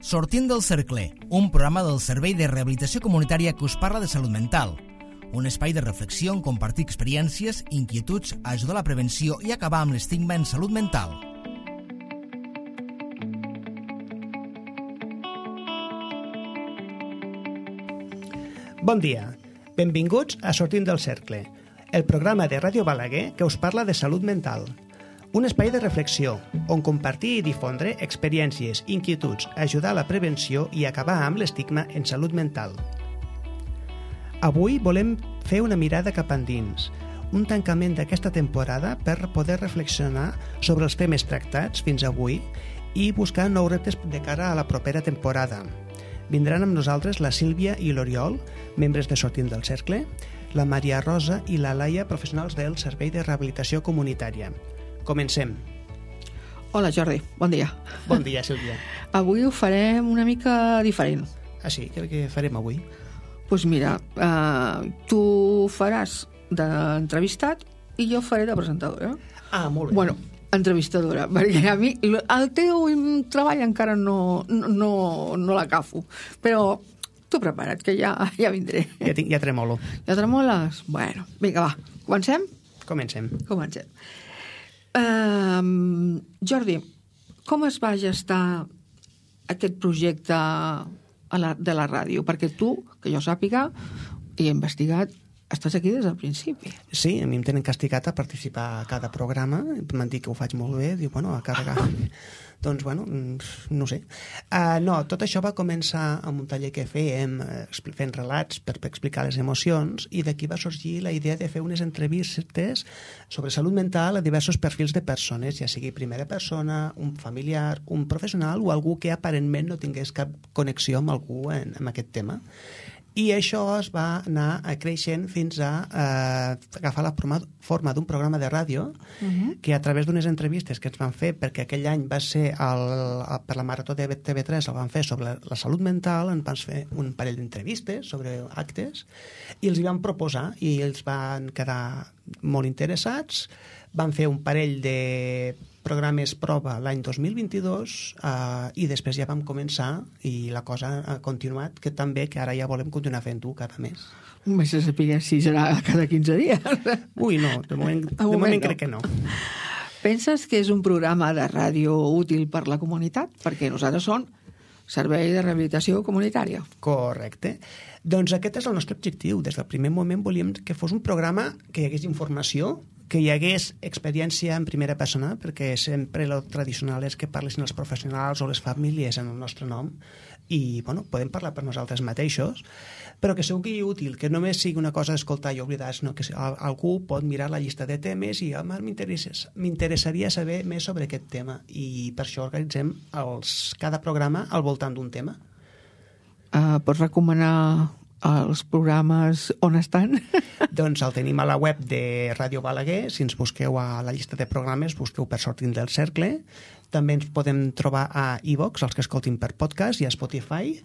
Sortint del cercle, un programa del Servei de Rehabilitació Comunitària que us parla de salut mental. Un espai de reflexió on compartir experiències, inquietuds, ajudar a la prevenció i acabar amb l'estigma en salut mental. Bon dia. Benvinguts a Sortint del cercle, el programa de Ràdio Balaguer que us parla de salut mental. Un espai de reflexió on compartir i difondre experiències, inquietuds, ajudar a la prevenció i acabar amb l'estigma en salut mental. Avui volem fer una mirada cap endins, un tancament d'aquesta temporada per poder reflexionar sobre els temes tractats fins avui i buscar nous reptes de cara a la propera temporada. Vindran amb nosaltres la Sílvia i l'Oriol, membres de Sortint del Cercle, la Maria Rosa i la Laia, professionals del Servei de Rehabilitació Comunitària. Comencem. Hola Jordi, bon dia. Bon dia, Sílvia. Avui ho farem una mica diferent. Ah, sí? Què farem avui? Doncs mira, tu faràs d'entrevistat i jo faré de presentadora. Ah, molt bé. Bueno, entrevistadora, perquè a mi el teu treball encara no l'agafo, però tu prepara't, que ja vindré. Ja tremolo. Ja tremoles? Bueno, vinga, va, comencem? Comencem. Jordi, com es va gestar aquest projecte de la ràdio? Perquè tu, que jo sàpiga, i he investigat, estàs aquí des del principi. Sí, a mi em tenen castigat a participar a cada programa. M'han dit que ho faig molt bé. Diu, bueno, a carregar. Doncs, bueno, no sé. No, tot això va començar amb un taller que fèiem fent relats per explicar les emocions i d'aquí va sorgir la idea de fer unes entrevistes sobre salut mental a diversos perfils de persones, ja sigui primera persona, un familiar, un professional o algú que aparentment no tingués cap connexió amb algú en aquest tema. I això es va anar creixent fins a agafar la forma d'un programa de ràdio que a través d'unes entrevistes que ens van fer, perquè aquell any va ser per la Marató de TV3, el van fer sobre la salut mental, ens van fer un parell d'entrevistes sobre actes i els hi van proposar i els van quedar molt interessats. Van fer un parell de programes prova l'any 2022 i després ja vam començar i la cosa ha continuat, que també que ara ja volem continuar fent-ho cada mes. Més a saber si serà cada 15 dies. Ui, no, de moment crec que no. Penses que és un programa de ràdio útil per la comunitat? Perquè nosaltres som Servei de Rehabilitació Comunitària. Correcte. Doncs aquest és el nostre objectiu. Des del primer moment volíem que fos un programa que hi hagués informació, que hi hagués experiència en primera persona, perquè sempre el tradicional és que parlessin els professionals o les famílies en el nostre nom i, bueno, podem parlar per nosaltres mateixos, però que sigui útil, que només sigui una cosa d'escoltar i oblidar, sinó que algú pot mirar la llista de temes i m'interessaria saber més sobre aquest tema i per això organitzem cada programa al voltant d'un tema. Pots recomanar els programes on estan? Doncs el tenim a la web de Ràdio Balaguer. Si ens busqueu a la llista de programes, busqueu per Sortint del Cercle. També ens podem trobar a iVox, els que escoltin per podcast, i a Spotify.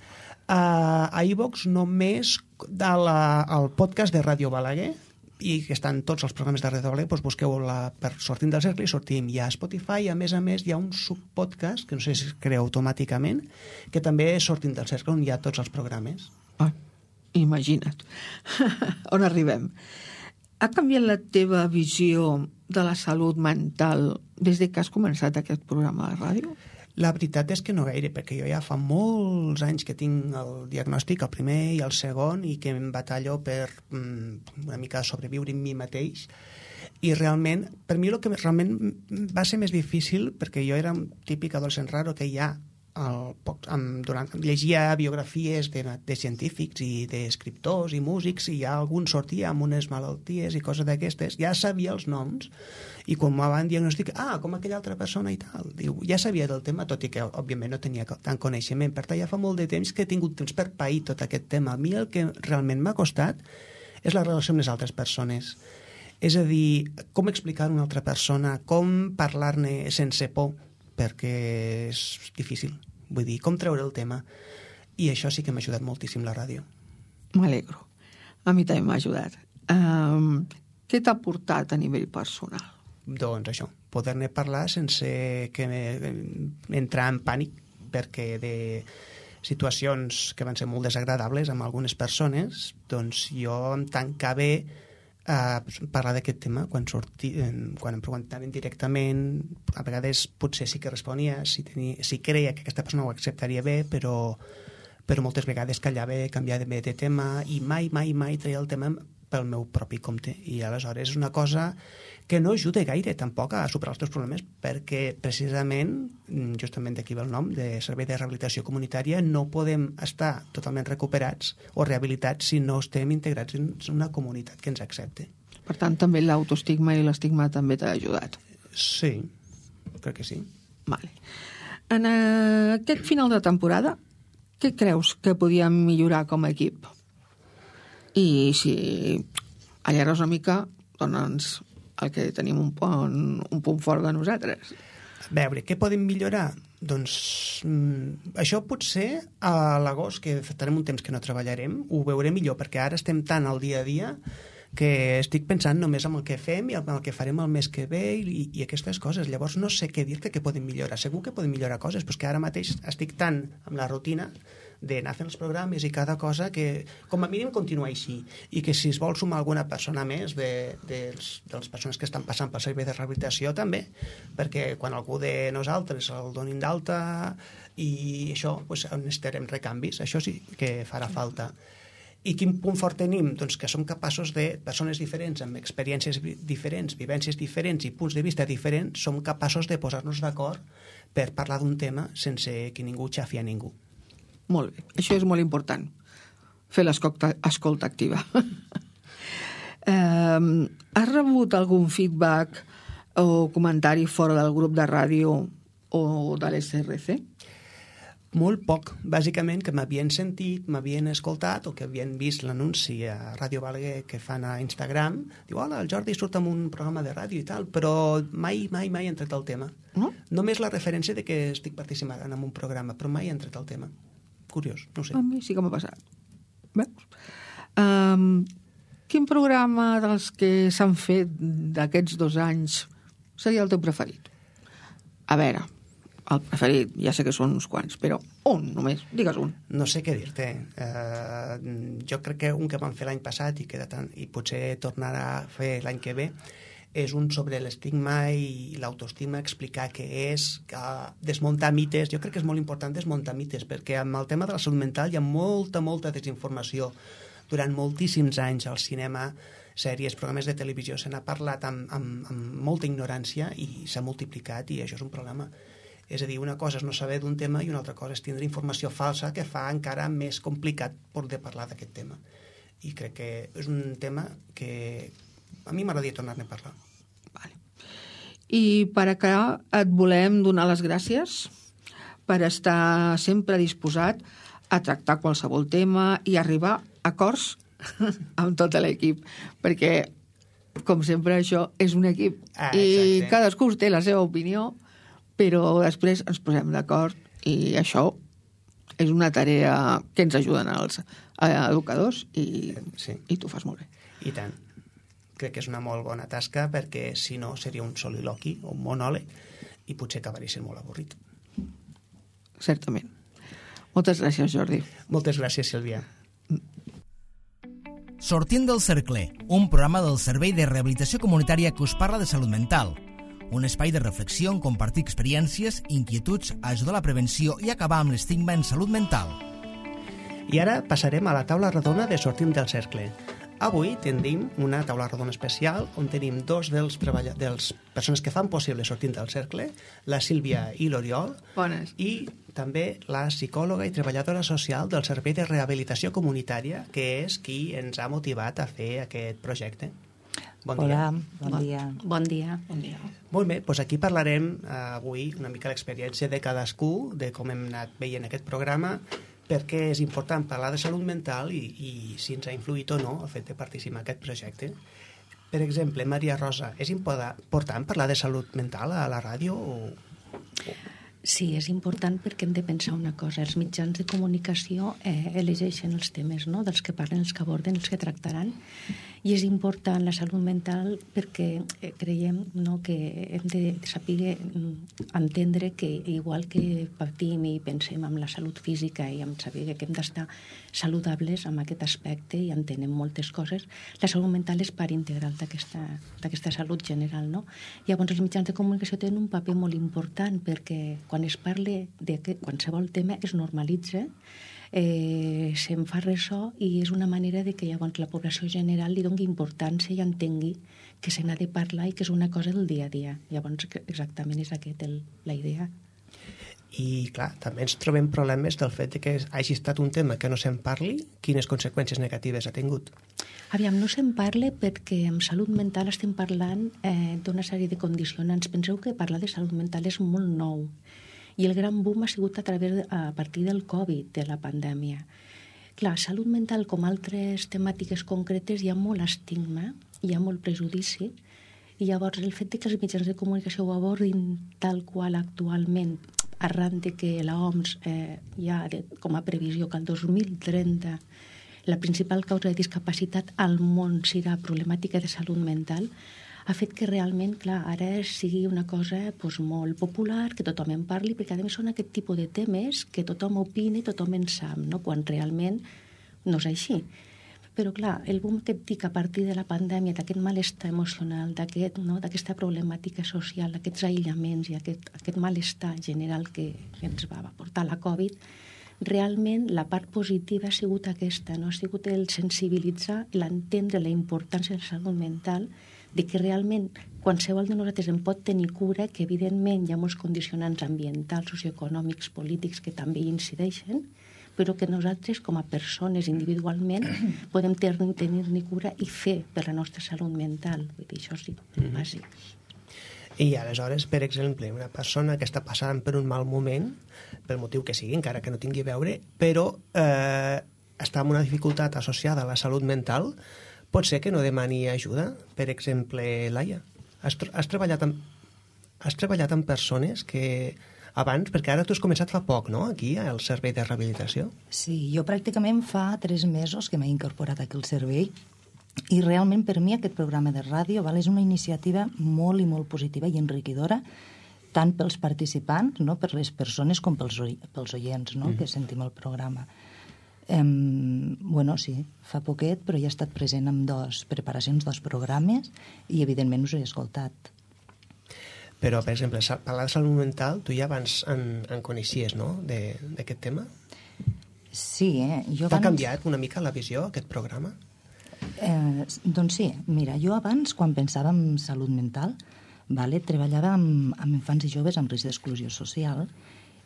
A iVox només el podcast de Ràdio Balaguer, i que estan tots els programes de Ràdio Balaguer, doncs busqueu per Sortint del Cercle i sortim. I a Spotify, a més, hi ha un subpodcast, que no sé si es crea automàticament, que també és Sortint del Cercle, on hi ha tots els programes. Imagina't on arribem. Ha canviat la teva visió de la salut mental des que has començat aquest programa de ràdio? La veritat és que no gaire, perquè jo ja fa molts anys que tinc el diagnòstic, el primer i el segon, i que em batallo per una mica sobreviure en mi mateix. I realment, per mi el que realment va ser més difícil, perquè jo era un típic adolescent raro que ja llegia biografies de científics i d'escriptors i músics i ja algun sortia amb unes malalties i coses d'aquestes, ja sabia els noms i quan m'ho van diagnosticar, com aquella altra persona i tal, diu, ja sabia del tema, tot i que òbviament no tenia tant coneixement, per tant ja fa molt de temps que he tingut temps per pair tot aquest tema. A mi el que realment m'ha costat és la relació amb les altres persones, és a dir, com explicar a una altra persona, com parlar-ne sense por, perquè és difícil. Vull dir, com treure el tema. I això sí que m'ha ajudat moltíssim la ràdio. M'alegro. A mi també m'ha ajudat. Què t'ha portat a nivell personal? Doncs això, poder-ne parlar sense entrar en pànic, perquè de situacions que van ser molt desagradables amb algunes persones, doncs jo em tancava a parlar d'aquest tema quan em preguntaven directament. A vegades potser sí que responia si creia que aquesta persona ho acceptaria bé, però moltes vegades callava, canviava de tema i mai treia el tema pel meu propi compte. I aleshores és una cosa que no ajuda gaire tampoc a superar els teus problemes, perquè precisament, justament d'aquí ve el nom, de servei de rehabilitació comunitària, no podem estar totalment recuperats o rehabilitats si no estem integrats en una comunitat que ens accepte. Per tant, també l'autoestigma i l'estigma també t'ha ajudat. Sí, crec que sí. Vale. En aquest final de temporada, què creus que podíem millorar com a equip? I si allargues una mica, dona'ns el que tenim un punt fort de nosaltres. A veure, què podem millorar? Doncs això potser a l'agost, que farem un temps que no treballarem, ho veurem millor, perquè ara estem tan al dia a dia que estic pensant només en el que fem i en el que farem el mes que ve i aquestes coses. Llavors no sé què dir-te que podem millorar. Segur que podem millorar coses, però és que ara mateix estic tan amb la rutina d'anar fent els programes i cada cosa que com a mínim continuar així, i que si es vol sumar alguna persona més de les persones que estan passant pel servei de rehabilitació també, perquè quan algú de nosaltres el donin d'alta i això, doncs necessitarem recanvis, això sí que farà falta. I quin punt fort tenim? Doncs que som capaços de persones diferents, amb experiències diferents, vivències diferents i punts de vista diferents, som capaços de posar-nos d'acord per parlar d'un tema sense que ningú xafi a ningú. Molt bé, això és molt important, fer l'escolta activa. Has rebut algun feedback o comentari fora del grup de ràdio o de l'SRC? Molt poc, bàsicament que m'havien sentit, m'havien escoltat o que havien vist l'anunci a Ràdio Balaguer que fan a Instagram. Diu, hola, el Jordi surt en un programa de ràdio i tal, però mai he entrat al tema. No? Només la referència de que estic participant en un programa, però mai he entrat al tema. Curiós, no ho sé. A mi sí que m'ha passat. Veus? Quin programa dels que s'han fet d'aquests 2 anys seria el teu preferit? A veure, el preferit, ja sé que són uns quants, però un només, digues un. No sé què dir-te. Jo crec que un que vam fer l'any passat i potser tornarà a fer l'any que ve és un sobre l'estigma i l'autoestima, explicar què és, desmuntar mites. Jo crec que és molt important desmuntar mites, perquè amb el tema de la salut mental hi ha molta desinformació. Durant moltíssims anys al cinema, sèries, programes de televisió, se n'ha parlat amb molta ignorància i s'ha multiplicat, i això és un problema. És a dir, una cosa és no saber d'un tema i una altra cosa és tindre informació falsa que fa encara més complicat poder parlar d'aquest tema. I crec que és un tema que a mi m'agradaria tornar-ne a parlar. Vale. I per acabar et volem donar les gràcies per estar sempre disposat a tractar qualsevol tema i arribar a acords amb tot l'equip, perquè, com sempre, això és un equip i cadascú té la seva opinió, però després ens posem d'acord i això és una tarea que ens ajuden els educadors i tu fas molt bé. I tant. Crec que és una molt bona tasca, perquè si no seria un soliloqui o un monòleg i potser acabaria sent molt avorrit. Certament. Moltes gràcies, Jordi. Moltes gràcies, Sílvia. Sortint del cercle, un programa del Servei de Rehabilitació Comunitària que us parla de salut mental. Un espai de reflexió on compartir experiències, inquietuds, ajudar a la prevenció i acabar amb l'estigma en salut mental. I ara passarem a la taula rodona de Sortim del cercle. Avui tenim una taula rodona especial on tenim 2 dels persones que fan possible Sortint del cercle, la Sílvia i l'Oriol. Bones. I també la psicòloga i treballadora social del Servei de Rehabilitació Comunitària, que és qui ens ha motivat a fer aquest projecte. Bon dia. Bon dia. Bon dia. Molt bé, doncs aquí parlarem avui una mica l'experiència de cadascú, de com hem anat veient aquest programa, perquè és important parlar de salut mental i si ens ha influït o no el fet de participar en aquest projecte. Per exemple, Maria Rosa, és important parlar de salut mental a la ràdio? Sí, és important perquè hem de pensar una cosa. Els mitjans de comunicació elegeixen els temes, no?, dels que parlen, els que aborden, els que tractaran. I és important la salut mental perquè creiem, no?, que hem de saber entendre que igual que patim i pensem en la salut física i en saber que hem d'estar saludables en aquest aspecte i entenem moltes coses, la salut mental és part integral d'aquesta salut general, no? Llavors els mitjans de comunicació tenen un paper molt important perquè quan es parla de qualsevol tema es normalitza, se'n fa ressò i és una manera de que llavors la població general li doni importància i entengui que se n'ha de parlar i que és una cosa del dia a dia. Llavors exactament és aquesta la idea. I, clar, també ens trobem problemes del fet que hagi estat un tema que no se'n parli, quines conseqüències negatives ha tingut. Aviam, no se'n parla perquè en salut mental estem parlant d'una sèrie de condicionants. Penseu que parlar de salut mental és molt nou i el gran boom ha sigut a partir del Covid, de la pandèmia. Clar, salut mental, com altres temàtiques concretes, hi ha molt estigma, hi ha molt prejudici, i llavors el fet que els mitjans de comunicació ho abordin tal qual actualment, arran de que l'OMS ja com a previsió que el 2030 la principal causa de discapacitat al món serà problemàtica de salut mental, ha fet que realment, clar, ara sigui una cosa molt popular, que tothom en parli, perquè a més són aquest tipus de temes que tothom opina i tothom en sap, no?, quan realment no és així. Però, clar, el boom que et dic a partir de la pandèmia, d'aquest malestar emocional, d'aquesta problemàtica social, aquests aïllaments i aquest malestar general que ens va portar la Covid, realment la part positiva ha sigut aquesta, no? Ha sigut el sensibilitzar, l'entendre la importància de la salut mental, de que realment qualsevol de nosaltres en pot tenir cura, que evidentment hi ha molts condicionants ambientals, socioeconòmics, polítics que també hi incideixen, però que nosaltres com a persones individualment podem tenir-ne cura i fer per la nostra salut mental. Vull dir, això sí, bàsic. I aleshores, per exemple, una persona que està passant per un mal moment, pel motiu que sigui, encara que no tingui a veure, però està amb una dificultat associada a la salut mental, pot ser que no demani ajuda. Per exemple, Laia, has treballat amb persones que abans, perquè ara tu has començat fa poc, no?, aquí, al servei de rehabilitació. Sí, jo pràcticament fa 3 mesos que m'he incorporat aquí al servei i realment per mi aquest programa de ràdio és una iniciativa molt i molt positiva i enriquidora, tant pels participants, no?, per les persones com pels oients, no?, que sentim el programa. Sí, fa poquet, però ja he estat present en 2 preparacions, 2 programes, i evidentment us he escoltat. Però, per exemple, parlar de salut mental, tu ja abans en coneixies, no?, d'aquest tema? Sí, T'ha canviat una mica la visió, aquest programa? Doncs sí, mira, jo abans, quan pensava en salut mental, treballava amb infants i joves amb risc d'exclusió social,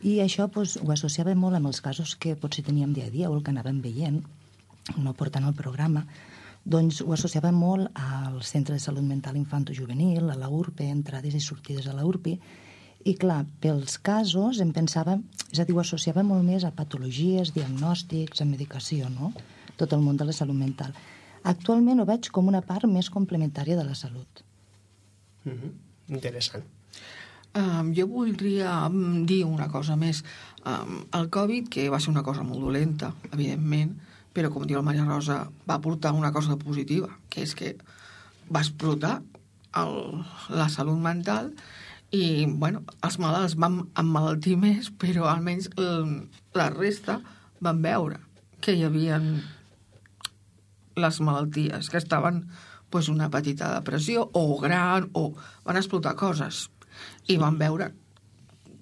i això ho associava molt amb els casos que potser teníem dia a dia o el que anàvem veient, no portant al programa. Doncs ho associava molt al Centre de Salut Mental Infanto-Juvenil, a la URPE, entrades i sortides a la URPE, i clar, pels casos em pensava, és a dir, ho associava molt més a patologies, diagnòstics, a medicació, no?, tot el món de la salut mental. Actualment ho veig com una part més complementària de la salut. Interessant. Jo voldria dir una cosa més. El Covid, que va ser una cosa molt dolenta, evidentment, però, com diu la Maria Rosa, va portar una cosa positiva, que és que va explotar la salut mental i, els malalts van emmalaltir més, però almenys la resta van veure que hi havia les malalties, que estaven una petita depressió o gran, o van explotar coses i van veure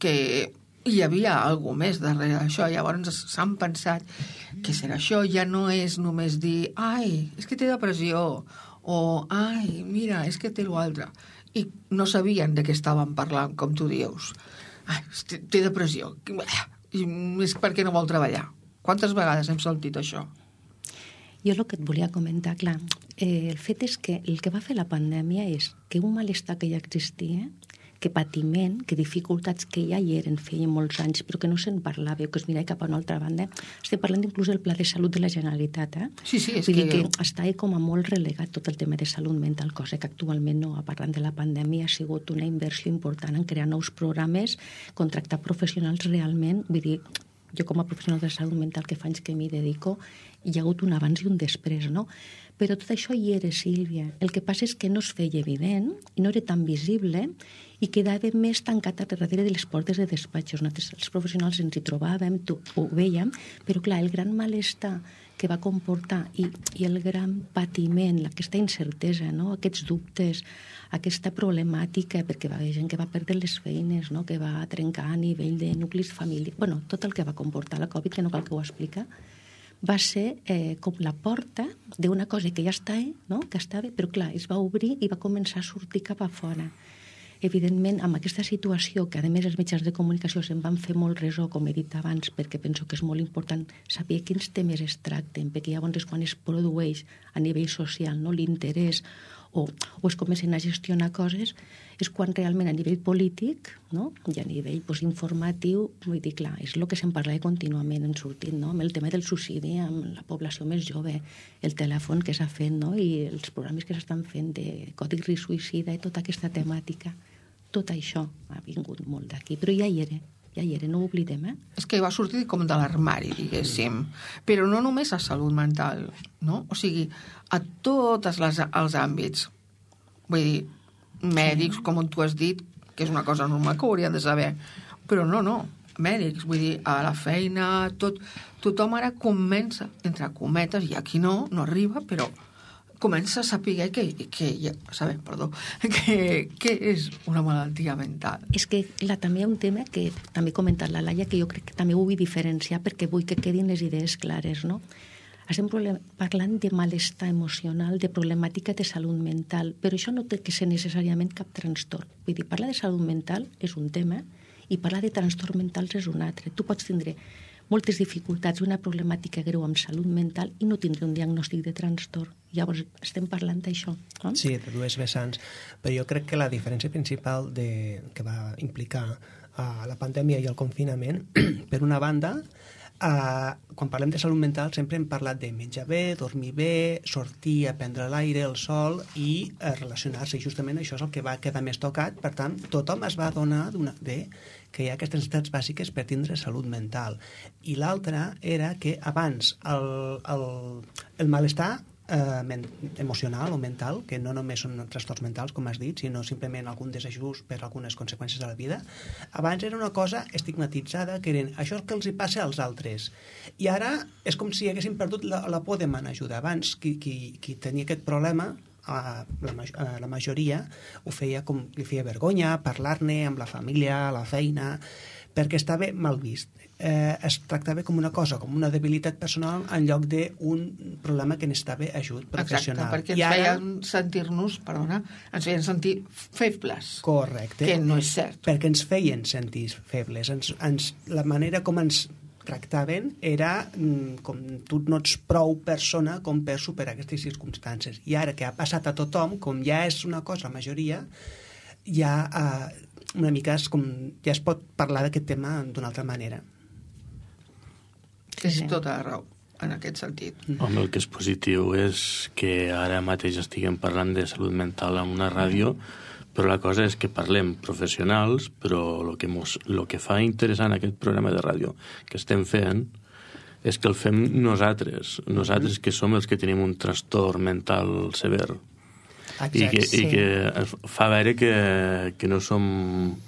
que hi havia alguna més darrere d'això. Llavors s'han pensat que serà això, ja no és només dir ai, és que té depressió, o ai, mira, és que té l'altre, i no sabien de què estaven parlant, com tu dius. Ai, té depressió, és perquè no vol treballar. Quantes vegades hem sentit això? Jo el que et volia comentar, clar, el fet és que el que va fer la pandèmia és que un malestar que ja existia, que patiment, que dificultats que ja hi eren feia molts anys, però que no se'n parlava, o que es mirava cap a una altra banda. Estem parlant inclús del Pla de Salut de la Generalitat, Sí, és Vull dir que està com a molt relegat tot el tema de salut mental, cosa que actualment no, parlant de la pandèmia, ha sigut una inversió important en crear nous programes, contractar professionals realment, vull dir, jo com a professional de salut mental que fa anys que m'hi dedico, hi ha hagut un abans i un després, no? Però tot això hi era, Sílvia. El que passa és que no es feia evident, i no era tan visible, i quedava més tancat a darrere de les portes de despatxos. Nosaltres, els professionals, ens hi trobàvem, ho vèiem, però clar, el gran malestar que va comportar i el gran patiment, aquesta incertesa, no? Aquests dubtes, aquesta problemàtica, perquè va haver gent que va perdre les feines, no? Que va trencar a nivell de nuclis familiars, bueno, tot el que va comportar la Covid, que no cal que ho explica, va ser com la porta d'una cosa que ja estava, no? Que estava, però clar, es va obrir i va començar a sortir cap a fora. Evidentment, amb aquesta situació, que a més els mitjans de comunicació se'n van fer molt ressò, com he dit abans, perquè penso que és molt important saber quins temes es tracten, perquè llavors és quan es produeix a nivell social, no? L'interès o es comencen a gestionar coses, és quan realment a nivell polític, no? I a nivell informatiu, vull dir, clar, és el que se'n parla contínuament en sortint, no? Amb el tema del suïcidi, amb la població més jove, el telèfon que s'ha fet, no? I els programes que s'estan fent de codi risc suïcida i tota aquesta temàtica. Tot això ha vingut molt d'aquí, però ja hi era, no ho oblidem, És que va sortir com de l'armari, diguéssim, però no només a salut mental, no? O sigui, a tots els àmbits. Vull dir, mèdics, com tu has dit, que és una cosa normal que ho haurien de saber, però no, mèdics, vull dir, a la feina, tothom ara comença, entre cometes, i aquí no arriba, però comença a saber que és una malaltia mental. És que també hi ha un tema que també ha comentat la Laia, que jo crec que també ho vull diferenciar perquè vull que quedin les idees clares, no? Estem parlant de malestar emocional, de problemàtica de salut mental, però això no té que ser necessàriament cap trastorn. Vull dir, parlar de salut mental és un tema i parlar de trastorn mentals és un altre. Tu pots tindre moltes dificultats, una problemàtica greu amb salut mental i no tindre un diagnòstic de trastorn. Llavors, estem parlant d'això. No? Sí, de dues vessants. Però jo crec que la diferència principal que va implicar la pandèmia i el confinament, per una banda, quan parlem de salut mental sempre hem parlat de menjar bé, dormir bé, sortir a prendre l'aire, el sol i relacionar-se. I justament això és el que va quedar més tocat. Per tant, tothom es va adonar que hi ha aquestes necessitats bàsiques per tindre salut mental. I l'altra era que abans el malestar emocional o mental, que no només són trastorns mentals, com has dit, sinó simplement algun desajust per algunes conseqüències de la vida, abans era una cosa estigmatitzada, que eren això que els hi passa als altres. I ara és com si haguessin perdut la por de demanar ajuda. Abans, qui tenia aquest problema, la majoria ho feia com li feia vergonya parlar-ne amb la família, a la feina, perquè estava mal vist. Es tractava com una cosa, com una debilitat personal en lloc d'un problema que necessitava ajut professional. Exacte, perquè ens feien sentir febles. Correcte. Que no és cert. Perquè ens feien sentir febles. La manera com ens tractaven era com tu no ets prou persona com per superar aquestes circumstàncies. I ara que ha passat a tothom, com ja és una cosa, la majoria, ja una mica ja es pot parlar d'aquest tema d'una altra manera. És tota la raó, en aquest sentit. Home, el que és positiu és que ara mateix estiguem parlant de salut mental en una ràdio, però la cosa és que parlem professionals, però el que fa interessant aquest programa de ràdio que estem fent és que el fem nosaltres que som els que tenim un trastorn mental sever. Exacte, i que fa veure que no som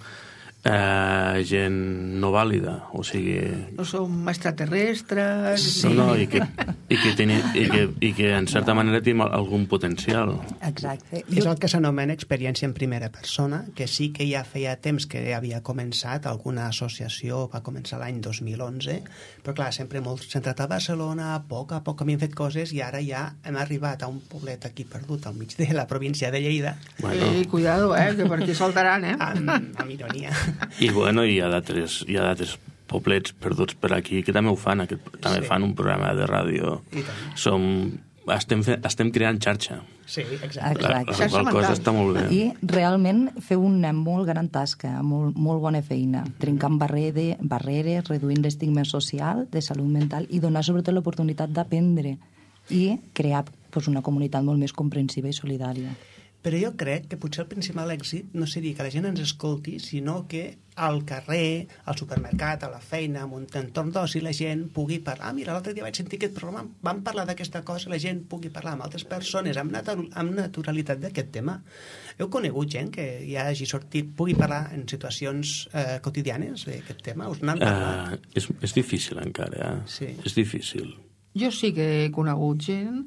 gent no vàlida, o sigui... No som extraterrestres... Sí. No, i que en certa manera tenim algun potencial. Exacte. És el que s'anomena experiència en primera persona, que sí que ja feia temps que havia començat, alguna associació va començar l'any 2011, però clar, sempre molt centrat a Barcelona, a poc havíem fet coses i ara ja hem arribat a un poblet aquí perdut al mig de la província de Lleida. Bueno. Cuidado, que per aquí soltaran, Amb ironia. I bueno, hi ha d'altres poblets perduts per aquí que també ho fan, també fan un programa de ràdio. Som estem creant xarxa. Sí, exacte. Exacte. La qual cosa està molt bé. I realment feu una molt gran tasca, molt bona feina, trencant barreres, reduint l'estigma social de salut mental i donar sobretot l'oportunitat d'aprendre i crear una comunitat molt més comprensiva i solidària. Però jo crec que potser el principal èxit no seria que la gent ens escolti, sinó que al carrer, al supermercat, a la feina, en un entorn d'oci, la gent pugui parlar. Mira, l'altre dia vaig sentir aquest programa, vam parlar d'aquesta cosa, la gent pugui parlar amb altres persones amb naturalitat d'aquest tema. Heu conegut gent que ja hagi sortit, pugui parlar en situacions quotidianes d'aquest tema? Us n'han parlat? És difícil encara, Sí. És difícil. Jo sí que he conegut gent,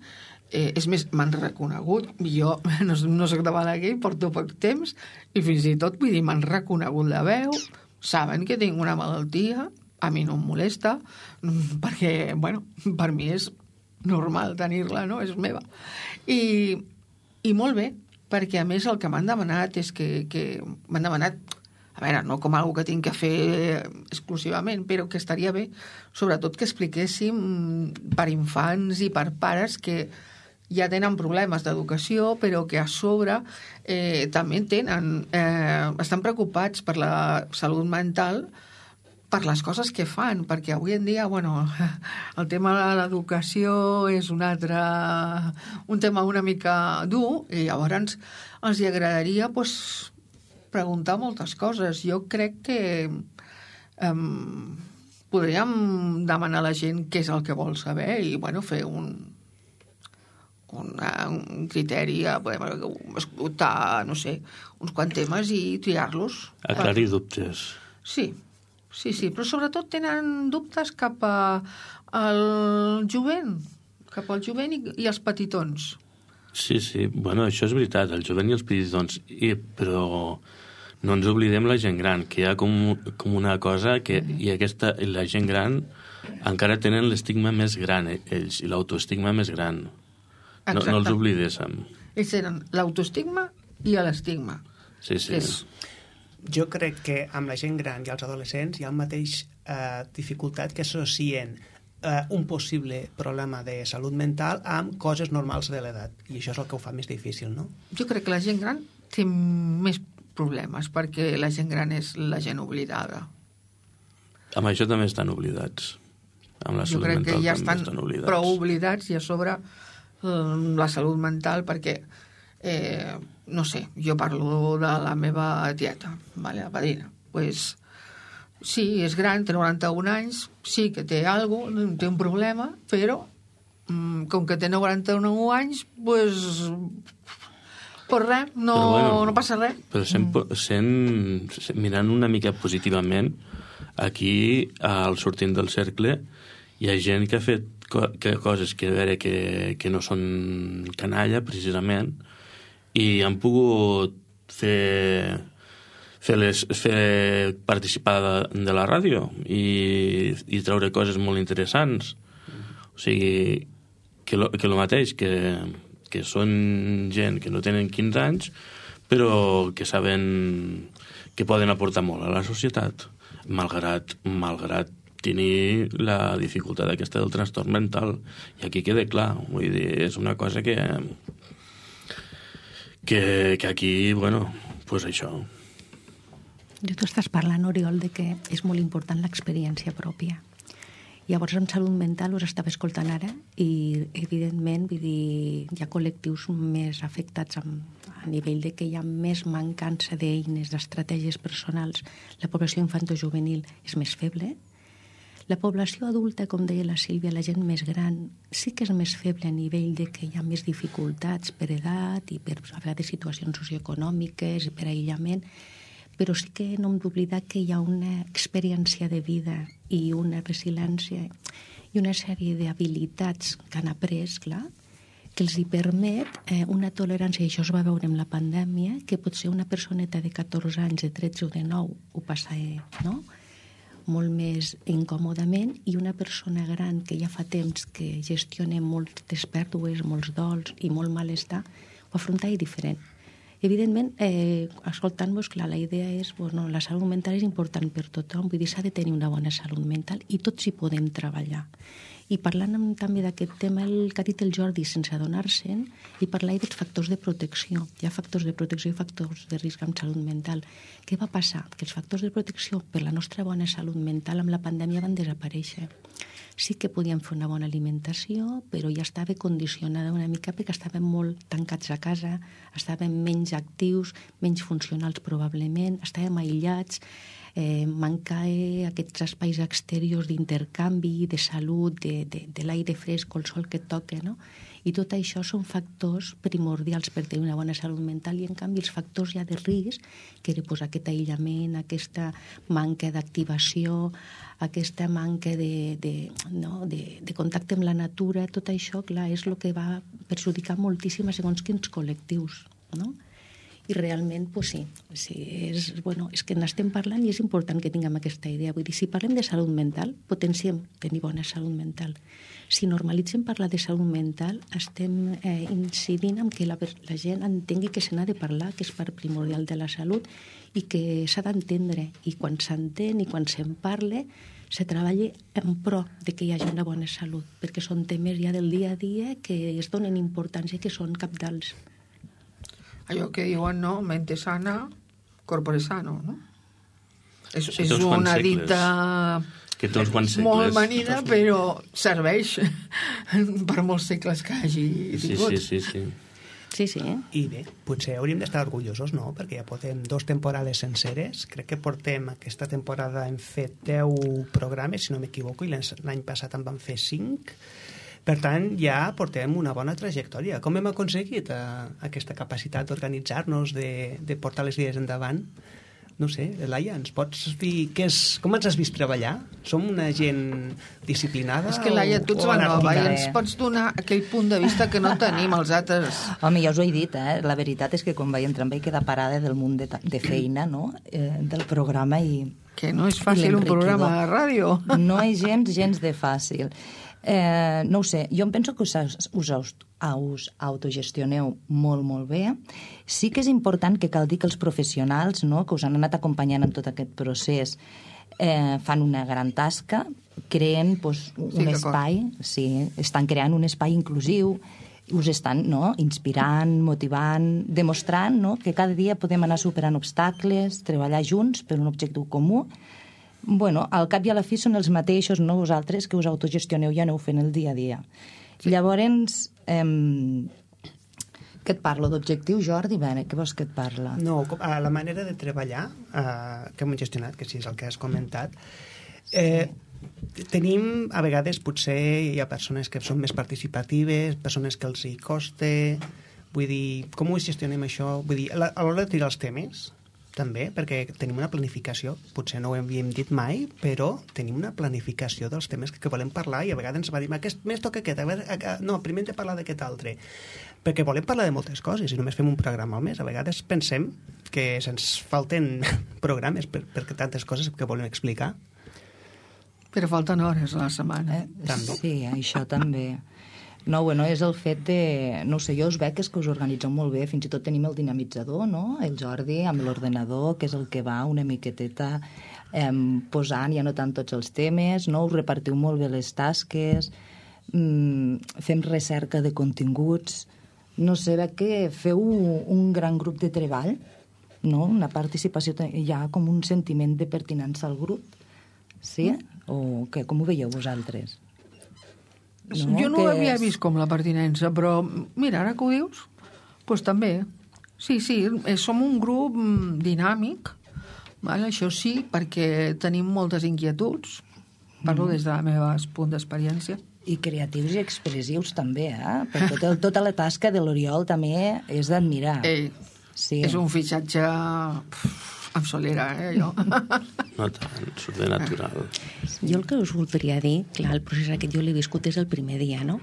és més, m'han reconegut, jo no soc de Balaguer, porto poc temps, i fins i tot, vull dir, m'han reconegut la veu, saben que tinc una malaltia, a mi no em molesta, perquè, bueno, per mi és normal tenir-la, no?, és meva. I molt bé, perquè a més el que m'han demanat és que m'han demanat, a veure, no com algo que tinc que fer exclusivament, però que estaria bé, sobretot que expliquéssim per infants i per pares que ja tenen problemes d'educació, però que a sobre també estan preocupats per la salut mental, per les coses que fan, perquè avui en dia, bueno, el tema de l'educació és un tema una mica dur, i llavors els agradaria, doncs, preguntar moltes coses. Jo crec que podríem demanar a la gent què és el que vol saber i, bueno, fer un criteri, podem escoltar, no sé, uns quants temes i triar-los. Aclarir dubtes. Sí, però sobretot tenen dubtes cap al jovent i els petitons. Sí, bueno, això és veritat, el jovent i els petitons, però no ens oblidem la gent gran, que hi ha com una cosa que la gent gran encara tenen l'estigma més gran, ells, i l'autoestigma més gran. No els oblidéssim. Ells tenen l'autoestigma i l'estigma. Sí. Jo crec que amb la gent gran i els adolescents hi ha el mateix dificultat que associen un possible problema de salut mental amb coses normals de l'edat. I això és el que ho fa més difícil, no? Jo crec que la gent gran té més problemes, perquè la gent gran és la gent oblidada. Amb això també estan oblidats. Amb la salut mental també estan oblidats. Jo crec que ja estan prou oblidats i a sobre la salut mental, perquè no sé, jo parlo de la meva tieta, la padrina, pues sí, és gran, té 91 anys, sí que té té un problema, però com que té 91 anys, pues res, no passa res. Però mirant una mica positivament, aquí, al sortint del cercle, hi ha gent que ha fet coses que, a veure, que no són canalla, precisament, i han pogut fer participar de la ràdio i treure coses molt interessants. O sigui, que el mateix, que són gent que no tenen 15 anys, però que saben que poden aportar molt a la societat, malgrat tenir la dificultat aquesta del trastorn mental. I aquí queda clar, vull dir, és una cosa que aquí, bueno, pues això. Tu estàs parlant, Oriol, de que és molt important l'experiència pròpia. Llavors, en salut mental us estava escoltant ara i, evidentment, vull dir, hi ha col·lectius més afectats a nivell de que hi ha més mancança d'eines, d'estratègies personals. La població infantojuvenil és més feble. La població adulta, com deia la Sílvia, la gent més gran, sí que és més feble a nivell de que hi ha més dificultats per edat i per a vegades situacions socioeconòmiques i per aïllament, però sí que no hem d'oblidar que hi ha una experiència de vida i una resiliència i una sèrie d'habilitats que han après, clar, que els hi permet una tolerància, i això es va veure amb la pandèmia, que potser una personeta de 14 anys, de 13 o de 9 ho passa, no?, molt més incòmodament, i una persona gran que ja fa temps que gestiona moltes pèrdues, molts dols i molt malestar, ho afronta diferent. Evidentment, escoltant-vos, clar, la idea és, bueno, la salut mental és important per tothom, vull dir, s'ha de tenir una bona salut mental i tots hi podem treballar. I parlant també d'aquest tema, el que ha dit el Jordi, sense adonar-se'n, i parlar dels factors de protecció. Hi ha factors de protecció i factors de risc amb salut mental. Què va passar? Que els factors de protecció per la nostra bona salut mental amb la pandèmia van desaparèixer. Sí que podíem fer una bona alimentació, però ja estava condicionada una mica perquè estàvem molt tancats a casa, estàvem menys actius, menys funcionals probablement, estàvem aïllats, mancar aquests espais exteriors d'intercanvi, de salut, de l'aire fresc o el sol que et toca, no? I tot això són factors primordials per tenir una bona salut mental i, en canvi, els factors ja de risc, que era aquest aïllament, aquesta manca d'activació, aquesta manca de contacte amb la natura, tot això, clar, és el que va perjudicar moltíssim a segons quins col·lectius, no? I realment, doncs sí, és que n'estem parlant i és important que tinguem aquesta idea. Vull dir, si parlem de salut mental, potenciem tenir bona salut mental. Si normalitzem parlar de salut mental, estem incidint en que la gent entengui que se n'ha de parlar, que és part primordial de la salut i que s'ha d'entendre. I quan s'entén i quan se'n parla, se treballa en pro de que hi hagi una bona salut, perquè són temes ja del dia a dia que es donen importància, que són cabdals. Allò que diuen, no? Mente sana, corpore sano, no? És una dita molt manida, però serveix per molts segles que hagi tingut. Sí. I bé, potser hauríem d'estar orgullosos, no? Perquè ja portem 2 temporades senceres. Crec que portem, aquesta temporada hem fet 10 programes, si no m'equivoco, i l'any passat en vam fer 5. Per tant, ja portem una bona trajectòria. Com hem aconseguit aquesta capacitat d'organitzar-nos, de portar les idees endavant? No sé, Laia, ens pots dir com ens has vist treballar? Som una gent disciplinada? És que, Laia, tu ets la nova i ens pots donar aquell punt de vista que no tenim els altres. Home, ja us ho he dit, La veritat és que quan vaig entrar em vaig quedar parada del munt de feina, no?, del programa i... Que no és fàcil un programa de ràdio. No és gens de fàcil. No ho sé, jo em penso que us autogestioneu molt bé. Sí que és important que cal dir que els professionals, no, que us han anat acompanyant en tot aquest procés, fan una gran tasca, creen un espai, estan creant un espai inclusiu, us estan inspirant, motivant, demostrant que cada dia podem anar superant obstacles, treballar junts per un objectiu comú. Bueno, al cap i a la fi són els mateixos, no vosaltres, que us autogestioneu i aneu fent el dia a dia. Sí. Llavors, què et parlo? D'objectiu, Jordi? Què vols que et parla? No, la manera de treballar que hem gestionat, que sí és el que has comentat, tenim, a vegades, potser hi ha persones que són més participatives, persones que els hi costa, vull dir, com ho gestionem això? Vull dir, a l'hora de triar els temes, també, perquè tenim una planificació, potser no ho havíem dit mai, però tenim una planificació dels temes que volem parlar i a vegades ens va dir, aquest mes toca aquest, no, primer hem de parlar d'aquest altre, perquè volem parlar de moltes coses i només fem un programa al mes. A vegades pensem que se'ns falten programes per tantes coses que volem explicar. Però falten hores a la setmana. També. Sí, això també. No, bueno, és el fet de... No sé, jo us veig que us organitzeu molt bé, fins i tot tenim el dinamitzador, no?, el Jordi, amb l'ordenador, que és el que va una miqueteta posant i anotant tots els temes, no?, us repartiu molt bé les tasques, fem recerca de continguts, no sé, veig que feu un gran grup de treball, no?, una participació, hi ha com un sentiment de pertinença al grup, sí? O què, com ho veieu vosaltres? No, jo no ho havia vist com la pertinença, però mira, ara que ho dius, doncs també. Sí, som un grup dinàmic, això sí, perquè tenim moltes inquietuds, parlo des del meu punt d'experiència. I creatius i expressius també, perquè tota la tasca de l'Oriol també és d'admirar. Sí. És un fitxatge amb solera, allò. No tant, surt de natural. Jo el que us voldria dir, clar, el procés aquest jo l'he viscut des del primer dia, no?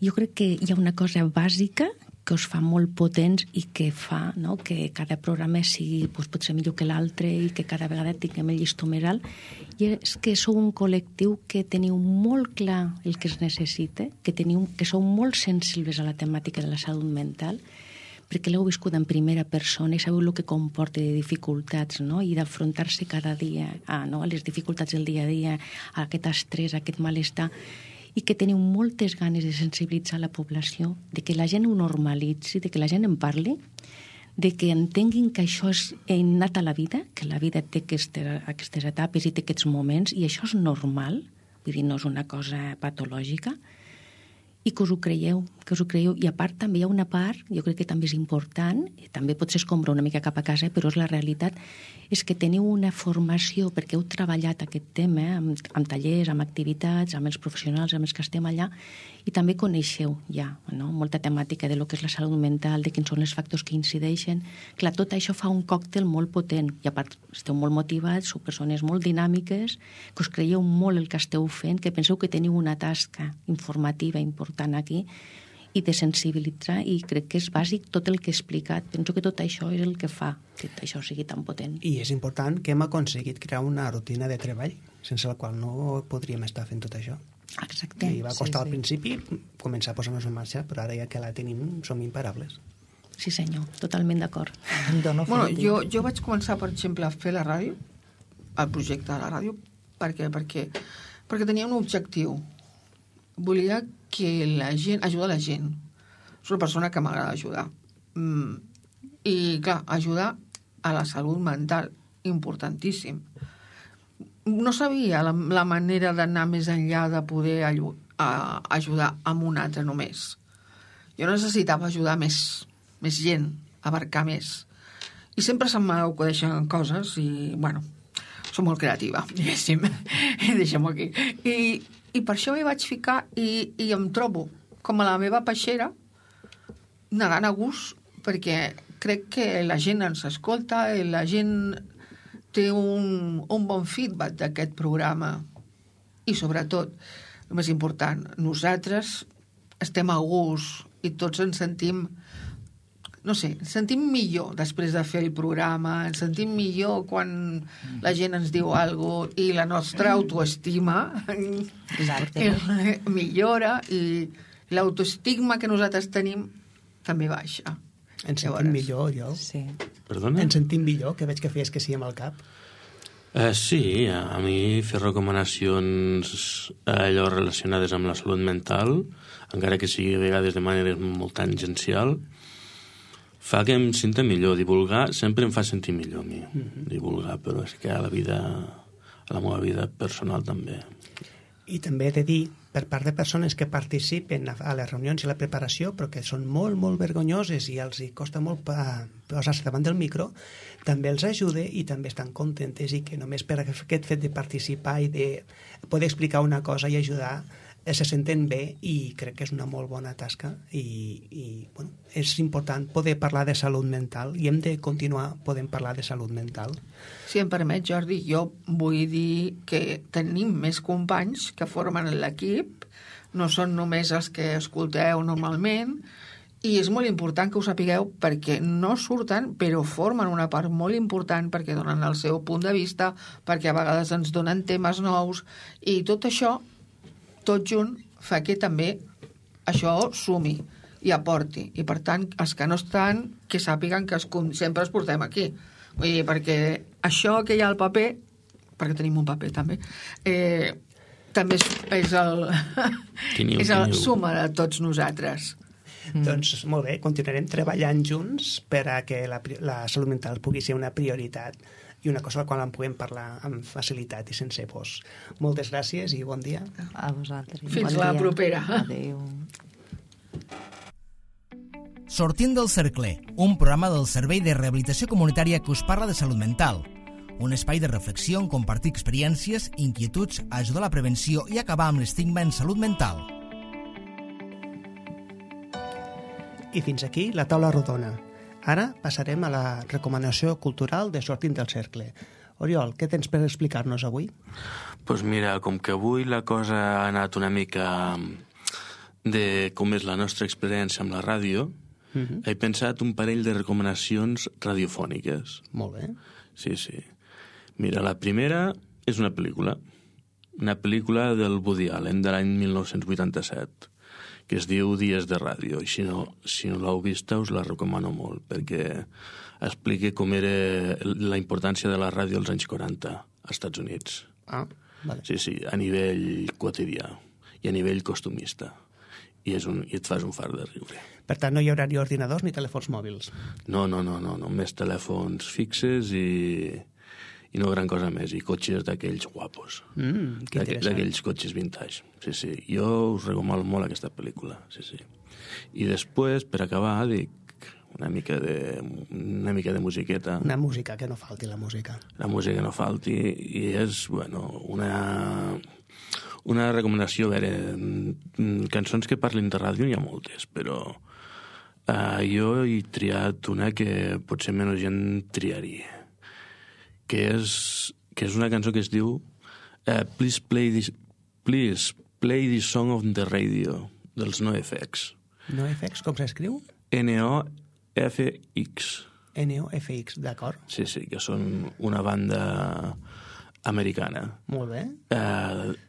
Jo crec que hi ha una cosa bàsica que us fa molt potents i que fa, no?, que cada programa sigui potser millor que l'altre i que cada vegada tinguem el llistó més alt, i és que sou un col·lectiu que teniu molt clar el que es necessita, que sou molt sensibles a la temàtica de la salut mental, perquè l'heu viscut en primera persona i sabeu el que comporta de dificultats, no? I d'afrontar-se cada dia a les dificultats del dia a dia, a aquest estrès, a aquest malestar, i que teniu moltes ganes de sensibilitzar la població, de que la gent ho normalitzi, de que la gent en parli, de que entenguin que això és innat a la vida, que la vida té aquestes etapes i té aquests moments, i això és normal, vull dir, no és una cosa patològica, i que us ho creieu. I a part també hi ha una part, jo crec que també és important, i també potser escombra una mica cap a casa, però és la realitat, és que teniu una formació, perquè heu treballat aquest tema amb tallers, amb activitats, amb els professionals, amb els que estem allà, i també coneixeu ja molta temàtica de lo que és la salut mental, de quins són els factors que incideixen. Clar, tot això fa un còctel molt potent, i a part esteu molt motivats, sou persones molt dinàmiques, que us creieu molt el que esteu fent, que penseu que teniu una tasca informativa important aquí, i de sensibilitzar, i crec que és bàsic tot el que he explicat. Penso que tot això és el que fa que això sigui tan potent. I és important que hem aconseguit crear una rutina de treball, sense la qual no podríem estar fent tot això. Exacte. I va costar al principi començar a posar-nos en marxa, però ara ja que la tenim som imparables. Sí senyor, totalment d'acord. Bueno, jo vaig començar, per exemple, a fer la ràdio, el projecte de la ràdio, perquè tenia un objectiu. Volia que la gent, ajudar la gent. És una persona que m'agrada ajudar. I, clar, ajudar a la salut mental, importantíssim. No sabia la manera d'anar més enllà de poder ajudar amb un altre només. Jo necessitava ajudar més gent, abarcar més. I sempre se'm acudeixen coses i, bueno, soc molt creativa, diguéssim. Deixem-ho aquí. I per això m'hi vaig ficar i em trobo com a la meva peixera nedant a gust, perquè crec que la gent ens escolta, la gent té un bon feedback d'aquest programa. I sobretot, el més important, nosaltres estem a gust i tots ens sentim, no sé, ens sentim millor després de fer el programa, ens sentim millor quan la gent ens diu alguna cosa i la nostra autoestima millora i l'autoestigma que nosaltres tenim també baixa. Ens sentim millor, jo. Sí. Perdona? Ens sentim millor, que veig que feies que sí amb el cap. Sí, a mi fer recomanacions allò relacionades amb la salut mental, encara que sigui a vegades de manera molt tangencial, fa que em senta millor. Divulgar sempre em fa sentir millor a mi, divulgar, però és que a la meva vida personal també. I també he de dir, per part de persones que participen a les reunions i la preparació, però que són molt, molt vergonyoses i els hi costa molt posar-se davant del micro, també els ajuda i també estan contentes, i que només per aquest fet de participar i de poder explicar una cosa i ajudar, se senten bé, i crec que és una molt bona tasca i bueno, és important poder parlar de salut mental i hem de continuar podent parlar de salut mental. Si em permet, Jordi, jo vull dir que tenim més companys que formen l'equip, no són només els que escolteu normalment, i és molt important que ho sapigueu perquè no surten, però formen una part molt important perquè donen el seu punt de vista, perquè a vegades ens donen temes nous, i tot això tot junt fa que també això sumi i aporti. I, per tant, els que no estan, que sàpiguen que sempre els portem aquí. Vull dir, perquè això que hi ha al paper, perquè tenim un paper també, també és el suma de tots nosaltres. Doncs molt bé, continuarem treballant junts per a que la salut mental pugui ser una prioritat i una cosa a la qual en puguem parlar amb facilitat i sense pors. Moltes gràcies i bon dia. A vosaltres. Fins la propera. Adéu. Sortint del cercle, un programa del Servei de Rehabilitació Comunitària que us parla de salut mental. Un espai de reflexió on compartir experiències, inquietuds, ajudar a la prevenció i acabar amb l'estigma en salut mental. I fins aquí la taula rodona. Ara passarem a la recomanació cultural de Sortint del cercle. Oriol, què tens per explicar-nos avui? Doncs mira, com que avui la cosa ha anat una mica de com és la nostra experiència amb la ràdio, he pensat un parell de recomanacions radiofòniques. Molt bé. Sí. Mira, la primera és una pel·lícula del Woody Allen, de l'any 1987, que es diu Dies de Ràdio, i si no l'heu vista us la recomano molt, perquè explica com era la importància de la ràdio als anys 40 als Estats Units. Ah, vale. Sí, a nivell quotidià i a nivell costumista. I et fas un far de riure. Per tant, no hi haurà ni ordinadors ni telèfons mòbils. No, només telèfons fixes i no gran cosa més, i cotxes d'aquells guapos. Que interessant. D'aquells cotxes vintage. Sí, jo us recomano molt aquesta pel·lícula, sí. I després, per acabar, dic una mica de musiqueta. Una música, que no falti la música. La música que no falti, i és, una recomanació, a veure, cançons que parlin de ràdio n'hi ha moltes, però jo he triat una que potser menys gent triaria, que és una cançó que es diu Please Play This Song on the Radio, dels NoFX. NoFX, com s'escriu? NoFX. NoFX, d'acord. Sí, que són una banda americana. Molt bé.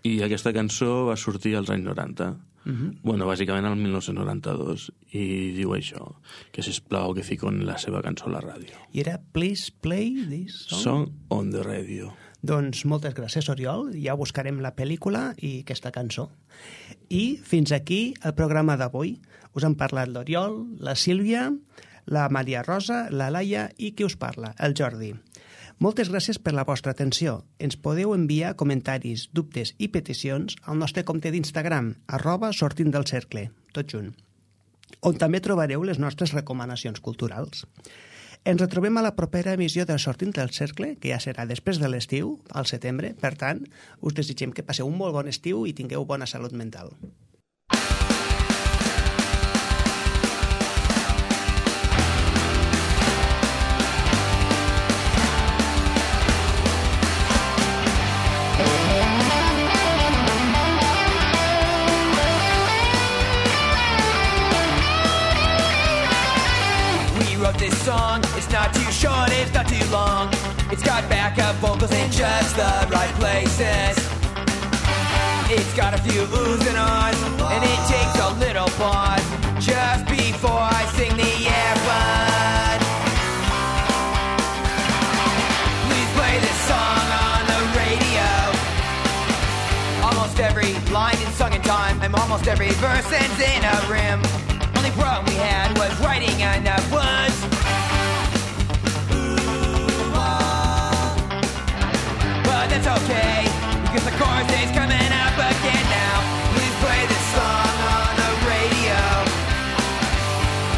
I aquesta cançó va sortir als anys 90. Bàsicament al 1992, i diu això, que sisplau que fiquen la seva cançó a la ràdio. I era Please Play This Song? Song on the Radio. Doncs moltes gràcies, Oriol. Ja buscarem la pel·lícula i aquesta cançó. I fins aquí el programa d'avui. Us han parlat l'Oriol, la Sílvia, la Maria Rosa, la Laia i qui us parla, el Jordi. Moltes gràcies per la vostra atenció. Ens podeu enviar comentaris, dubtes i peticions al nostre compte d'Instagram, @sortintdelcercle, tot junt, on també trobareu les nostres recomanacions culturals. Ens retrobem a la propera emissió de Sortint del Cercle, que ja serà després de l'estiu, al setembre. Per tant, us desitgem que passeu un molt bon estiu i tingueu bona salut mental. This song, it's not too short, it's not too long. It's got backup vocals in just the right places. It's got a few oohs and ahs, and it takes a little pause just before I sing the F-word. Please play this song on the radio. Almost every line is sung in time, and almost every verse ends in a rim. Only problem we had was writing enough words. But that's okay, because the chorus is coming up again now. Please play this song on the radio.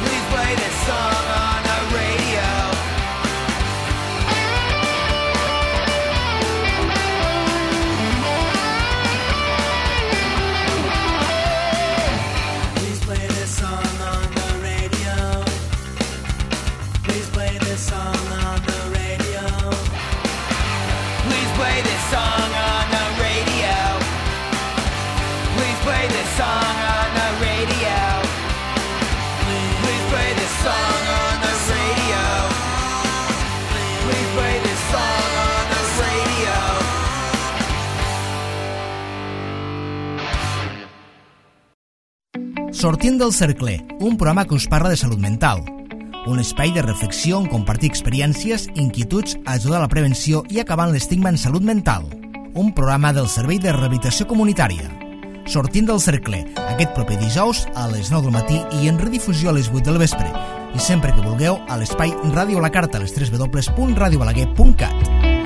Please play this song on the radio. Please play this song on the radio. Please play this song on the radio. Please play this song on the radio. Please play this song on the radio. Please play this song on the radio. Please play this song on the radio. Sortint del Cercle, un programa que us parla de salut mental. Un espai de reflexió on compartir experiències, inquietuds, ajudar a la prevenció i acabar amb l'estigma en salut mental. Un programa del Servei de Rehabilitació Comunitària. Sortint del Cercle, aquest proper dijous a les 9 del matí i en redifusió a les 8 del vespre. I sempre que vulgueu a l'espai Ràdio a la Carta a les www.radiobalaguer.cat.